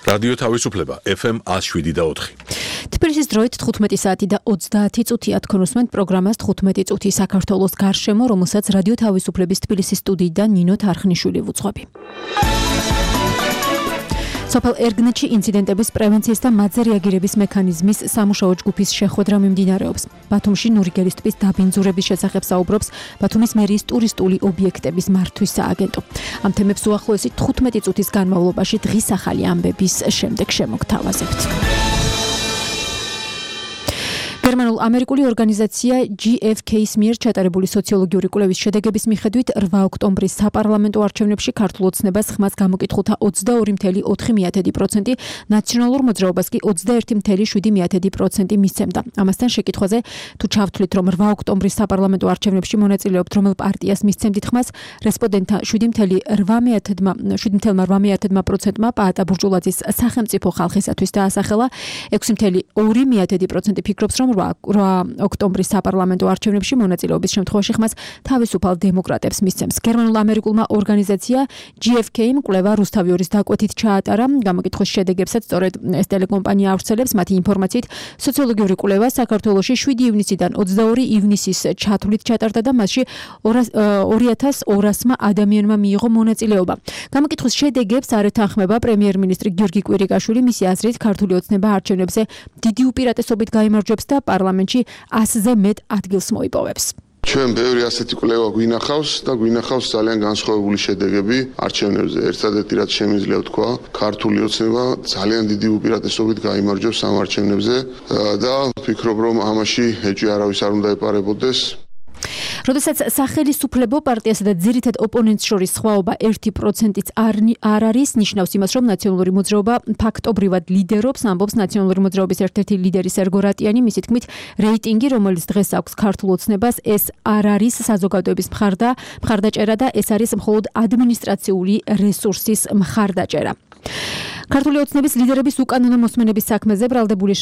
რადიო თავისუფლება FM 107.4. თბილისის დროით 15 საათი და 30 წუთია თქვენ უსმენთ პროგრამას 15 წუთი საქართველოს გარშემო, რომელსაც რადიო თავისუფლების თბილისის სტუდიიდან ნინო თარხნიშვილი ვუძღვები. სოფელ ერგნეთში ინციდენტების პრევენციის და მათზე რეაგირების მექანიზმის სამუშაო ჯგუფის შეხვედრა მიმდინარეობს. ბათუმში ნურიგელის ტბის დაბინძურების შესახებ საუბრობს ბათუმის მერიის ტურისტული ობიექტების მართვის სააგენტო. ამ თემებს უახლოესი 15 წუთის განმავლობაში დღის ახალი ამბების შემდეგ შემოგთავაზებთ. გერმანულ-ამერიკული ორგანიზაცია GfK-ის მიერ ჩატარებული სოციოლოგიური კვლევის შედეგების მიხედვით 8 ოქტომბრის საპარლამენტო არჩევნებში ქართულ ოცნებას ხმას გამოკითხულთა 22.4%, ნაციონალურ მოძრაობას კი 21.7% მისცემდა. ამასთან შეკითხვაზე თუ ჩავთვლით, რომ 8 ოქტომბრის საპარლამენტო არჩევნებში მონაწილეობთ რომელ პარტიას მისცემდით ხმას, რესპონდენტთა 7.8%-მა პაატა ბურჯულაძის სახელმწიფო ხალხისათვის დაასახელა, 6.2% ფიქრობს, რომ 8 ოქტომბრის საპარლამენტო არჩევნებში მონაწილეობის შემთხვევაში ხმას თავისუფალ დემოკრატებს მისცემს. გერმანულ-ამერიკულმა ორგანიზაცია GfK-მ კვლევა რუსთავი ორის დაკვეთით ჩაატარა. გამოკითხვის შედეგებსაც სწორედ ეს ტელეკომპანია ავრცელებს. მათი ინფორმაციით, სოციოლოგიური კვლევა საქართველოში 7 ივნისიდან 22 ივნისის ჩათვლით ჩატარდა და მასში 2200-მა ადამიანმა მიიღო მონაწილეობა. გამოკითხვის შედეგებს არ ეთანხმება პრემიერ-მინისტრი გიორგი კვირიკაშვილი. მისი აზრით, ქართული ოცნება არჩევნებზე დიდი უპირატესობით გაიმარჯვებს და პარლამენტში 100-ზე მეტ ადგილს მოიპოვებს. ჩვენ ბევრი ასეთი კვლევა გვინახავს და გვინახავს ძალიან განსხვავებული შედეგები არჩევნებზე. ერთადერთი რაც შემიძლია ვთქვა, ქართული ოცნება ძალიან დიდი უპირატესობით გაიმარჯვებს ამ არჩევნებზე და ვფიქრობ, რომ ამაში ეჭვი არავის არ უნდა ეპარებოდეს. როდესაც სახელისუფლებო პარტიასა და ძირითად ოპონენტს შორის სხვაობა 1%-იც არ არის, ნიშნავს იმას, რომ ნაციონალური მოძრაობა ფაქტობრივად ლიდერობს, ამბობს ნაციონალური მოძრაობის ერთ-ერთი ლიდერი სერგო რატიანი. მისი თქმით, რეიტინგი, რომელიც დღეს აქვს ქართულ ოცნებას, ეს არ არის საზოგადოების მხარდაჭერა და ეს არის მხოლოდ ადმინისტრაციული რესურსის მხარდაჭერა. ქართული ოცნების ლიდერების უკანონო მოსმენების საქმეზე ბრალდებული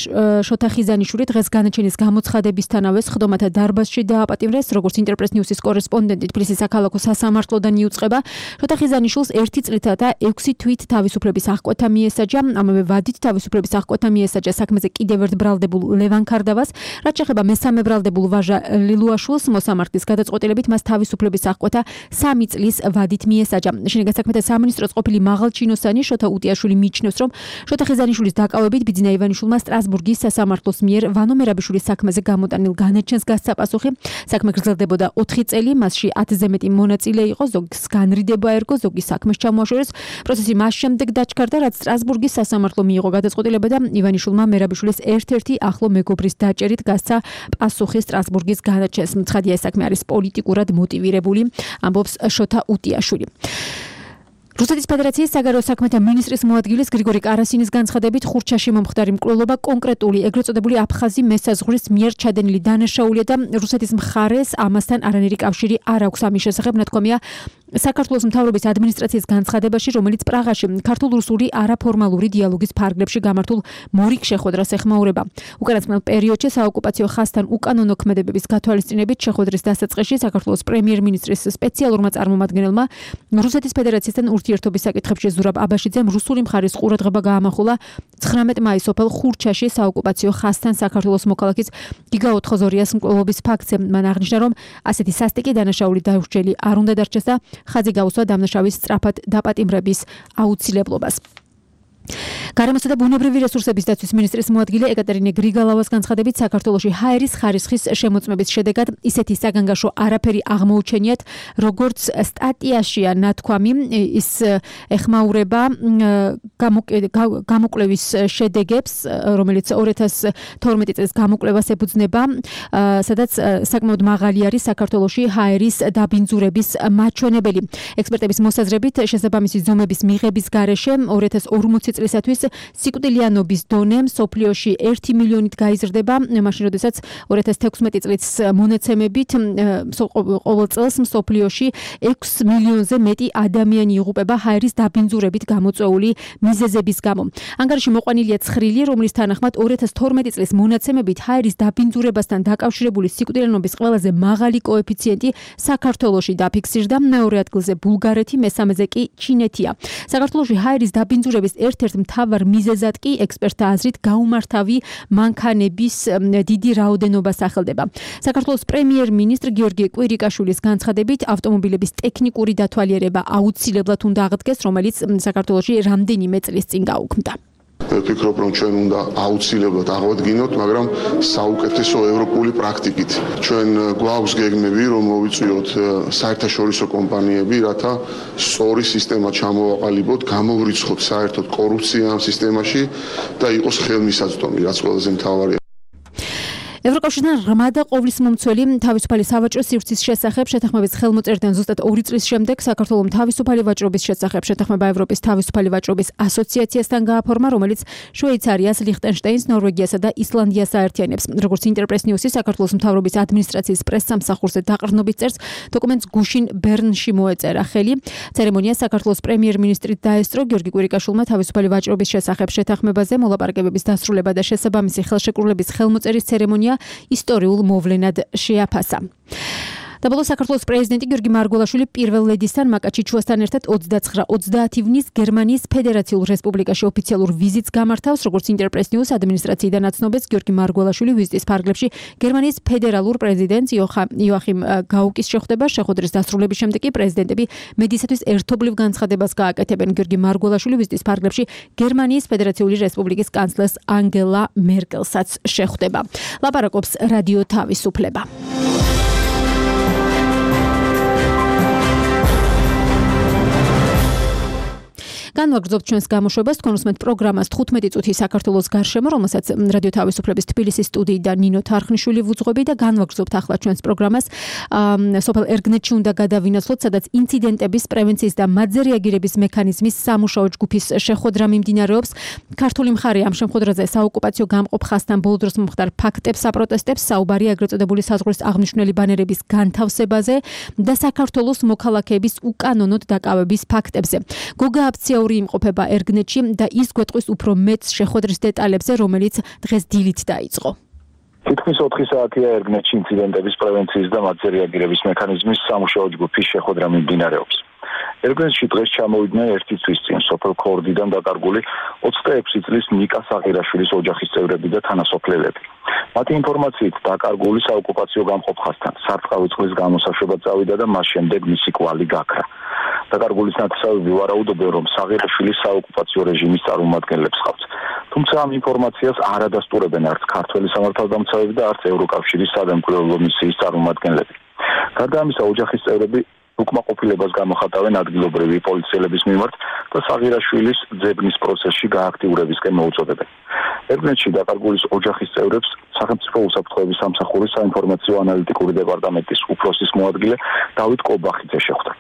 შოთა ხიზანიშვილი დღეს განაჩენის გამოცხადებისთანავე სხდომათა დარბაზში დააპატიმრეს, როგორც ინტერპრეს ნიუსის კორესპონდენტი თბილისის საქალაქო სასამართლოდან იუწყება. შოთა ხიზანიშვილს 1 წლითა და 6 თვით თავისუფლების აღკვეთა მიესაჯა. ამავე ვადით თავისუფლების აღკვეთა მიესაჯა საქმეზე კიდევ ერთ ბრალდებულ ლევან ქარდავას. რაც შეეხება მესამე ბრალდებულ ვაჟა ლილუაშვილს, მოსამართლის გადაწყვეტილებით მას თავისუფლების აღკვეთა 3 წლის ვადით მიესაჯა. შინაგან საქმეთა სამინისტროს ყოფილი მაღალჩინოსანი შოთა უტიაშვილი ნიშნავს, რომ შოთა ხიზანიშვილის დაკავებით ბიძინა ივანიშვილმა სტრასბურგის სასამართლოს მიერ ვანო მერაბიშვილის საქმეზე გამოტანილ განაჩენს გასცა პასუხი. საქმე გრძელდებოდა 4 წელი, მასში 10-ზე მეტი მონაწილე იყო, ზოგს განრიდება ერგო, ზოგი საქმეს ჩამოაშორეს. პროცესი მას შემდეგ დაჩქარდა, რაც სტრასბურგის სასამართლო მიიღო გადაწყვეტილება და ივანიშვილმა მერაბიშვილის ერთ-ერთი ახლო მეგობრის დაჭერით გასცა პასუხი სტრასბურგის განაჩენს. მცხადია, ეს საქმე არის პოლიტიკურად მოტივირებული, ამბობს შოთა უტიაშვილი. რუსეთის ფედერაციის საგარეო საქმეთა მინისტრის მოადგილის გრიგორი კარასინის განცხადებით, ხურჩაში მომხდარი მკვლელობა კონკრეტული, ეგრეთ წოდებული აფხაზი მესაზღვრის მიერ ჩადენილი დანაშაულია და რუსეთის მხარეს ამასთან არანაირი კავშირი არ აქვს. ამის შესახებ ნათქვამია საქართველოს მთავრობის ადმინისტრაციის განცხადებაში, რომელიც პრაღაში ქართულ-რუსული არაფორმალური დიალოგის ფარგლებში გამართულ მორიგ შეხვედრას ეხმაურება. უკანასკნელ პერიოდში საოკუპაციო ხაზთან უკანონო ქმედებების გათვალისწინებით შეხვედრის დასაწყისში საქართველოს პრემიერ-მინისტრის სპეციალურმა წარმომადგენელმა რუსეთის ფედერაციასთან ურთიერთობის საკითხებში ზურაბ აბაშიძემ რუსული მხარის ყურადღება გაამახვილა 19 მაის სოფელ ხურჩაში საოკუპაციო ხაზთან საქართველოს მოქალაქის გიგა ოთხოზორიას მკვლელობის ფაქტზე. მან აღნიშნა, რომ ასეთი სასტიკი დანაშაული დაურჩელი არ უნდა დარჩეს და ხაზი გაუსვა დამნაშავის სწრაფად დაპატიმრების აუცილებლობას. გარემოსა და ბუნებრივი რესურსების დაცვის მინისტრის მოადგილე ეკატერინე გრიგალავას განცხადებით, საქართველოში ჰაერის ხარისხის შემოწმების შედეგად ისეთი საგანგაშო არაფერი აღმოუჩენიათ, როგორც სტატიაშია ნათქვამი. ის ეხმაურება გამოკვლევის შედეგებს, რომელიც 2012 წელს გამოკვლევას ეფუძნება, სადაც საკმაოდ მაღალი არის საქართველოში ჰაერის დაბინძურების მაჩვენებელი. ექსპერტების მოსაზრებით, შესაბამისი ზომების მიღების გარეშე 2040 წლისათვის სიკვდილიანობის დონე მსოფლიოში 1 მილიონით გაიზრდება, მაშინ როდესაც 2016 წლის მონაცემებით ყოველ წელს მსოფლიოში 6 მილიონზე მეტი ადამიანი იღუპება ჰაერის დაბინძურებით გამოწვეული მიზეზების გამო. ანგარიში მოყვანილია ცხრილი, რომლის თანახმად 2012 წლის მონაცემებით ჰაერის დაბინძურებასთან დაკავშირებული სიკვდილიანობის ყველაზე მაღალი კოეფიციენტი საქართველოში დაფიქსირდა, მეორე ადგილზე ბულგარეთი, მესამეზე კი ჩინეთია. საქართველოში ჰაერის დაბინძურების ერთ-ერთ მთავარ მთავარ მიზეზად კი ექსპერტთა აზრით გაუმართავი მანქანების დიდი რაოდენობა სახელდება. საქართველოს პრემიერ-მინისტრ გიორგი კვირიკაშვილის განცხადებით ავტომობილების ტექნიკური დათვალიერება აუცილებლად უნდა აღდგეს, რომელიც საქართველოში რამდენიმე წლის წინ გაუქმდა. მე ვფიქრობ, რომ ჩვენ უნდა აუცილებლად აღვადგინოთ, მაგრამ საუკეთესო ევროპული პრაქტიკით. ჩვენ გვაქვს გეგმები, რომ მოვიწვიოთ საერთაშორისო კომპანიები, რათა სწორი სისტემა ჩამოვაყალიბოთ, გამოვრიცხოთ საერთოდ კორუფცია ამ სისტემაში და იყოს ხელმისაწვდომი, რაც ყველაზე მთავარია. ევროკავშირთან ღრმა და ყოვლისმომცველი თავისუფალი სავაჭრო სივრცის შესახებ შეთანხმების ხელმოწერიდან ზუსტად 2 წლის შემდეგ საქართველოს თავისუფალი ვაჭრობის შესახებ შეთანხმება ევროპის თავისუფალი ვაჭრობის ასოციაციასთან გააფორმა, რომელიც შვეიცარიას, ლიხტენშტაინს, ნორვეგიასა და ისლანდიას აერთიანებს. Როგორც ინტერპრეს ნიუსი საქართველოს მთავრობის ადმინისტრაციის პრესსამსახურზე დაყრდნობით წერს, დოკუმენტს გუშინ ბერნში მოეწერა ხელი. ცერემონია საქართველოს პრემიერ-მინისტრით დაესწრო გიორგი კვირიკაშვილმა თავისუფალი ვაჭრობის შესახებ შეთანხმებაზე მოლაპარაკებების დასრულება და შესაბამისი ხელშეკრულების ხელმოწერის ცერემონია ისტორიულ მოვლენად შეაფასა. Dabolo საქართველოს პრეზიდენტი გიორგი მარგველაშვილი პირველ ლედისთან მაკაჩიჩუასთან ერთად 29-30 ივნის გერმანიის ფედერაციულ რესპუბლიკაში ოფიციალურ ვიზიტს გამართავს, როგორც ინტერპრეს ნიუს ადმინისტრაციიდან აცნობს გიორგი მარგველაშვილი ვიზიტის ფარგლებში გერმანიის ფედერალურ პრეზიდენტს იოახიმ გაუკის შეხვდება. შეხვედრის დასრულების შემდეგ კი პრეზიდენტები მედიისათვის ერთობლივ განცხადებას გააკეთებენ. გიორგი მარგველაშვილი ვიზიტის ფარგლებში გერმანიის ფედერაციული რესპუბლიკის კანცლერს ანგელა მერკელსაც შეხვდება. ლაპარაკობს რადიო თავისუფლება. განვაგრძობთ ჩვენს გამოშვებას, თქვენ უსმენთ პროგრამას 15 წუთი საქართველოს გარშემო, რომელსაც რადიო თავისუფლების თბილისის სტუდიიდან ნინო თარხნიშვილი ვუძღვები და განვაგრძობთ ახლა ჩვენს პროგრამას. სოფელ ერგნეთში უნდა გადავინაცვლოთ, სადაც ინციდენტების პრევენციის და მათზე რეაგირების მექანიზმის სამუშაო ჯგუფის შეხვედრა მიმდინარეობს. ქართული მხარე ამ შემოხვედრაზე საოკუპაციო გამყოფ ხაზთან ბოლო დროს მომხდარ ფაქტებს აპროტესტებს, საუბარია ეგრეთ წოდებული საზღვრის აღმნიშვნელი ბანერების განთავსებაზე და საქართველოს მოქალაქეების უკანონოდ დაკავების ფაქტებზე. გოგა აფციაური იმყოფება ერგნეთში და ის გვეტყვის უფრო მეტს შეხვედრის დეტალებზე, რომელიც დღეს დილით დაიწყო. თითქმის 4 საათია ერგნეთში ინციდენტების პრევენციის და მათზე რეაგირების მექანიზმის სამუშაო ჯგუფის შეხვედრა მიმდინარეობს. ერგნეთში დღეს ჩამოვიდნენ 1 თვის წინ სოფელ ქორდიდან დაკარგული 26 წლის ნიკა საღირაშვილის ოჯახის წევრები და თანასოფლელები. მათი ინფორმაციით დაკარგული საოკუპაციო გამყოფ ხაზთან სარწყავი წყლის გამოსაშვება წავიდა და მას შემდეგ მისი კვალი გაქრა. დაკარგულის ნათესავები ვარაუდობენ, რომ საღირაშვილის საოკუპაციო რეჟიმის წარმომადგენლებს ჰყავს. თუმცა ამ ინფორმაციას არ ადასტურებენ არც ქართველი სამართალდამცავები და არც ევროკავშირის სადამკვირვებლო მისიის წარმომადგენლები. გარდა ამისა, ოჯახის წევრები უკმაყოფილებას გამოხატავენ ადგილობრივი პოლიციელების მიმართ და საღირაშვილის ძებნის პროცესში გააქტიურებისკენ მოუწოდებენ. ერგნეთში დაკარგულის ოჯახის წევრებს სახელმწიფო უსაფრთხოების სამსახურის საინფორმაციო ანალიტიკური დეპარტამენტის უფროსის მოადგილე დავით კობახიძე შეხვდა.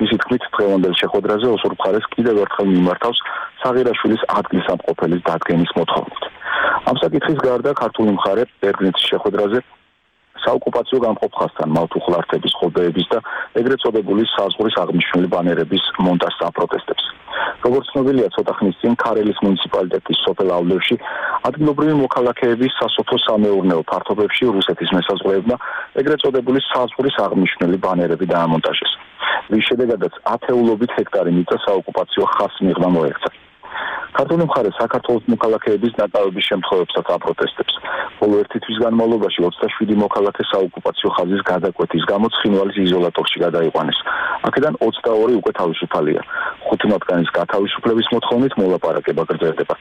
მისი თქმით, დღევანდელ შეხვედრაზე ოსურ მხარეს კიდევ ერთხელ მიმართავს საღირაშვილის ადგილსამყოფელის დადგენის მოთხოვნით. ამ საკითხის გარდა ქართული მხარე ერგნეთის შეხვედრაზე საოკუპაციო გამყოფ ხაზთან მავთუხლართების ხობეების და ეგრეთ წოდებული საზღვრის აღმნიშვნელი ბანერების მონტაჟს აპროტესტებს. როგორც ცნობილია, ცოტა ხნის წინ ქარელის მუნიციპალიტეტის სოფელავლევში ადგილობრივი მოქალაქეების სასოფლო-სამეურნეო ფართობებში რუსეთის მესაზღვრეებმა ეგრეთ წოდებული საზღვრის აღმნიშვნელი ბანერები დაამონტაჟეს. რის შედეგადაც ათეულობით ჰექტარი მიწა საოკუპაციო ხაზს მიღმა მოექცა. ქართული მხარე საქართველოს მოქალაქეების დაკავების შემთხვევებსაც აპროტესტებს. ბოლო 1 თვის განმავლობაში 27 მოქალაქე საოკუპაციო ხაზის გადაკვეთის გამო ცხინვალის იზოლატორში გადაიყვანეს. აქედან 22 უკვე თავისუფალია. 5 მათგანის გათავისუფლების მოთხოვნით მოლაპარაკება გრძელდება.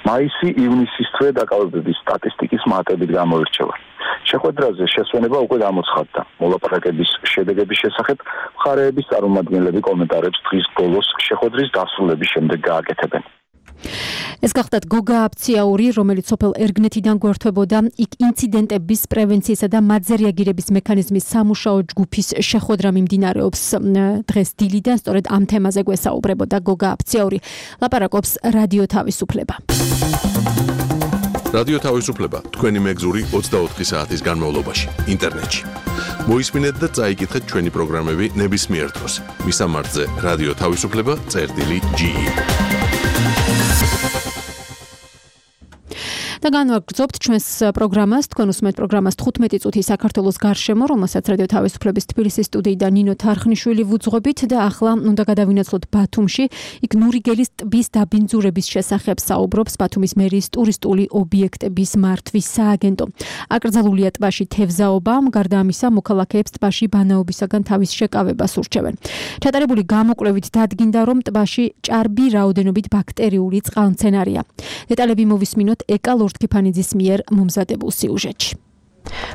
მაისი-ივნისის თვე დაკავებების სტატისტიკის მატებით გამოირჩევა. შეხვედრაზე შესვენება უკვე გამოცხადდა. მოლაპარაკების შედეგების შესახებ მხარეების წარმომადგენლები კომენტარებს დღის ბოლოს შეხვედრის დასრულების შემდეგ გააკეთებენ. ეს გახლდათ გოგა აფციაური, რომელიც სოფელ ერგნეთიდან გვერდებოდა, იქ ინციდენტების პრევენციისა და მათზე რეაგირების მექანიზმის სამუშაო ჯგუფის შეხვედრა მიმდინარეობს დღეს დილიდან, სწორედ ამ თემაზე გვესაუბრებოდა გოგა აფციაური. ლაპარაკობს რადიო თავისუფლება. რადიო თავისუფლება თქვენი მეგზური 24 საათის განმავლობაში ინტერნეტში. მოისმინეთ და წაიკითხეთ ჩვენი პროგრამები ნებისმიერ დროს. მისამართზე რადიო თავისუფლება.ge და განვაგრძობთ ჩვენს პროგრამას, თქვენ უსმენთ პროგრამას 15 წუთი საქართველოს გარშემო, რომელსაც რადიო თავისუფლების თბილისის სტუდიიდან ნინო თარხნიშვილი ვუძღვებით და ახლა უნდა გადავინაცვლოთ ბათუმში. იქ ნურიგელის ტბის დაბინძურების შესახებ საუბრობს ბათუმის მერიის ტურისტული ობიექტების მართვის სააგენტო. აკრძალულია ტბაში თევზაობა, გარდა ამისა მოქალაქეებს ტბაში ბანაობისაგან თავის შეკავებას ურჩევენ. ჩატარებული გამოკვლევით დადგინდა, რომ ტბაში ჭარბი რაოდენობით ბაქტერიული წყალმცენარეა. დეტალები მოვისმინოთ ეკა ლორთქიფანიძის მიერ მომზადებულ სიუჟეტში.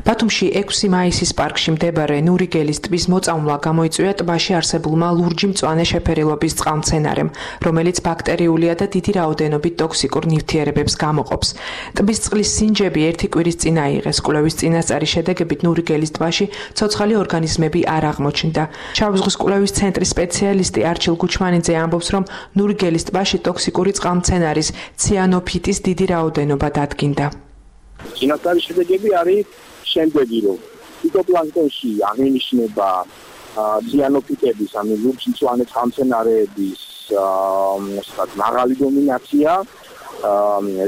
ბათუმში 6 მაისის პარკში მდებარე ნურიგელის ტბის მოწამვლა გამოიწვია ტბაში არსებულმა ლურჯი მწვანე შეფერილობის წყალმცენარემ, რომელიც ბაქტერიულია და დიდი რაოდენობით ტოქსიკურ ნივთიერებებს გამოყოფს. ტბის წყლის სინჯები ერთი კვირის წინ აიღეს. კვლევის წინასწარი შედეგებით ნურიგელის ტბაში ცოცხალი ორგანიზმები არ აღმოჩნდა. შავი ზღვის კვლევის ცენტრის სპეციალისტი არჩილ გუჩმანიძე ამბობს, რომ ნურიგელის ტბაში ტოქსიკური წყალმცენარის ციანოფიტის დიდი რაოდენობა დადგინდა. წინასწარი შედეგები არის შემდეგი, რომ ფიტოპლანქტონში აღინიშნება ციანოფიტების, ანუ ლურჯი მწვანე წყალმცენარეების მაღალი დომინაცია,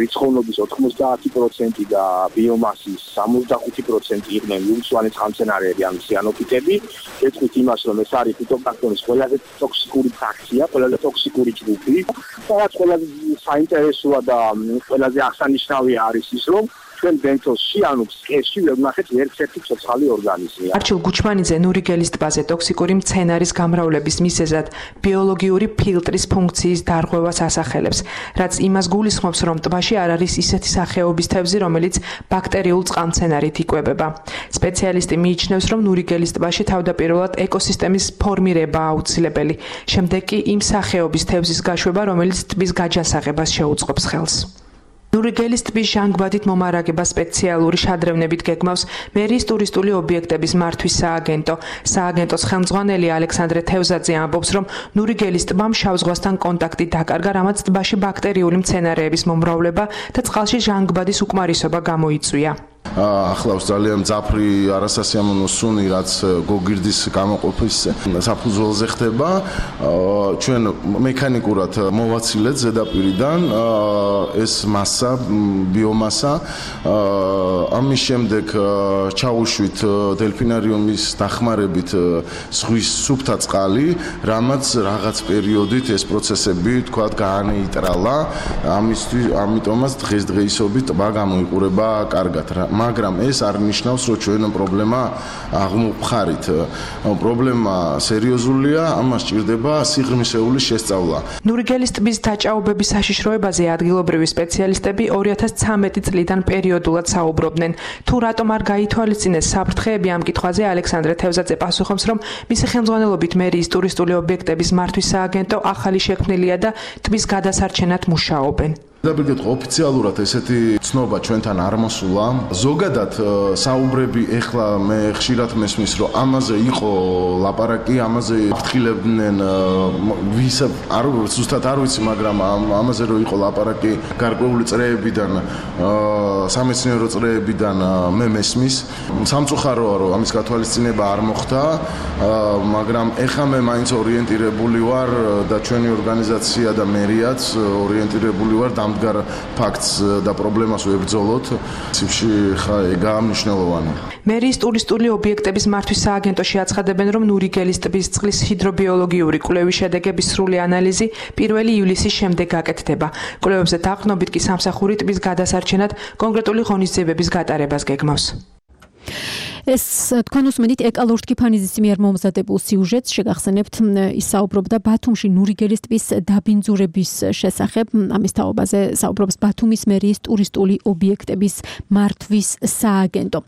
რიცხოვნობის 90% და ბიომასის 65% იყვნენ ლურჯი მწვანე წყალმცენარეები, ანუ ციანოფიტები. ეთქვით იმას, რომ ეს არის ფიტოპლანქტონის ყველაზე ტოქსიკური ფრაქცია, ყველაზე ტოქსიკური ჯგუფი. რაც ყველაზე საინტერესოა და ყველაზე აღსანიშნავია არის ის, რომ ჩვენ ბენთოსში, ანუ სკესში ვნახეთ ერთ-ერთი ცოცხალი ორგანიზმი. არჩილ გუჩმანიძე ნურიგელის ტბაზე ტოქსიკური მცენარის გამრავლების მიზეზად ბიოლოგიური ფილტრის ფუნქციის დარღვევას ასახელებს, რაც იმას გულისხმობს, რომ ტბაში არ არის ისეთი სახეობის თევზი, რომელიც ბაქტერიულ წყალმცენარით იკვებება. სპეციალისტი მიიჩნევს, რომ ნურიგელის ტბაში თავდაპირველად ეკოსისტემის ფორმირება აუცილებელი, შემდეგ კი იმ სახეობის თევზის გაშვება, რომელიც ტბის გაჯანსაღებას შეუწყობს ხელს. ნურიგელის ტბის ჟანგბადით მომარაგება სპეციალური შადრევნებით გეგმავს მერიის ტურისტული ობიექტების მართვის სააგენტო. სააგენტოს ხელმძღვანელი ალექსანდრე თევზაძე ამბობს, რომ ნურიგელის ტბამ შავ ზღვასთან კონტაქტი დაკარგა, რამაც ტბაში ბაქტერიული მცენარეების მომრავლება და წყალში ჟანგბადის უკმარისობა გამოიწვია. ახლავს ძალიან მძაფრი არასასიამოვნო სუნი, რაც გოგირდის გამოყოფის საფუძველზე ხდება. ჩვენ მექანიკურად მოვაცილეთ ზედაპირიდან ეს მასა, ბიომასა. ამის შემდეგ ჩაუშვით დელფინარიუმის დახმარებით ზღვის სუფთა წყალი, რამაც რაღაც პერიოდით ეს პროცესები, თქვათ, გაანეიტრალა. ამიტომაც დღესდღეობით ტბა გამოიყურება კარგად. მაგრამ ეს არ ნიშნავს, რომ ჩვენ პრობლემა აღმოვხარით. პრობლემა სერიოზულია, ამას სჭირდება სიღრმისეული შესწავლა. ნურიგელის ტბის დაჭაობების საშიშროებაზე ადგილობრივი სპეციალისტები 2013 წლიდან პერიოდულად საუბრობდნენ. თუ რატომ არ გაითვალისწინეს საფრთხეები ამ კითხვაზე, ალექსანდრე თევზაძე პასუხობს, რომ მისი ხელმძღვანელობით მერიის ტურისტული ობიექტების მართვის სააგენტო ახალი შექმნილია და ტბის გადასარჩენად მუშაობენ. დაბეგეთ ოფიციალურად ესეთი ცნობა ჩვენთან არ მოსულა. ზოგადად საუბრები ეხლა მე ხშირად მესმის, რომ ამაზე იყო ლაპარაკი, ამაზე ფრთხილებდნენ ვის არ ზუსტად არ ვიცი, მაგრამ ამაზე რომ იყო ლაპარაკი გარკვეული წრეებიდან, სამეცნიერო წრეებიდან მე მესმის. სამწუხაროა, რომ ამის გათვალისწინება არ მოხდა, მაგრამ ეხლა მე მაინც ორიენტირებული ვარ და ჩვენი ორგანიზაცია და მერიაც ორიენტირებული ვარ მდგარ ფაქტს და პრობლემას ვებრძოლოთ. ციფში ხა ეგაა მნიშვნელოვანი. მერიის ტურისტული ობიექტების მართვის სააგენტოში აცხადებენ, რომ ნურიგელის ტბის წყლის ჰიდრობიოლოგიური კვლევის შედეგების სრული ანალიზი 1 ივლისის შემდეგ გაკეთდება. კვლევებზე დაყრდნობით კი სამსახური ტბის გადასარჩენად კონკრეტული ღონისძიებების გატარებას გეგმავს. ეს თქვენ უსმენთ ეკა ლორთქიფანიძის მიერ მომზადებულ სიუჟეტს. შეგახსენებთ, ის საუბრობდა ბათუმში ნურიგელის ტბის დაბინძურების შესახებ. ამის თაობაზე საუბრობს ბათუმის მერიის ტურისტული ობიექტების მართვის სააგენტო.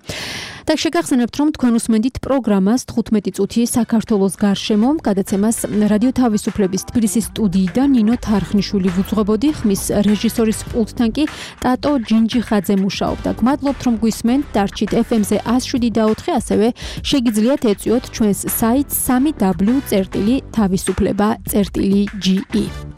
და შეგახსენებთ, რომ თქვენ უსმენთ პროგრამას 15 წუთი საქართველოს გარშემო, გადაცემას რადიო თავისუფლების თბილისის სტუდიიდან ნინო თარხნიშვილი ვუძღვებოდი, ხმის რეჟისორის პულტთან კი ტატო ჯინჯიხაძე მუშაობდა. გმადლობთ, რომ გვისმენთ. დარჩით FM-ზე 107.4, ასევე შეგიძლიათ ეწვიოთ ჩვენს საიტს www.თავისუფლება.ge.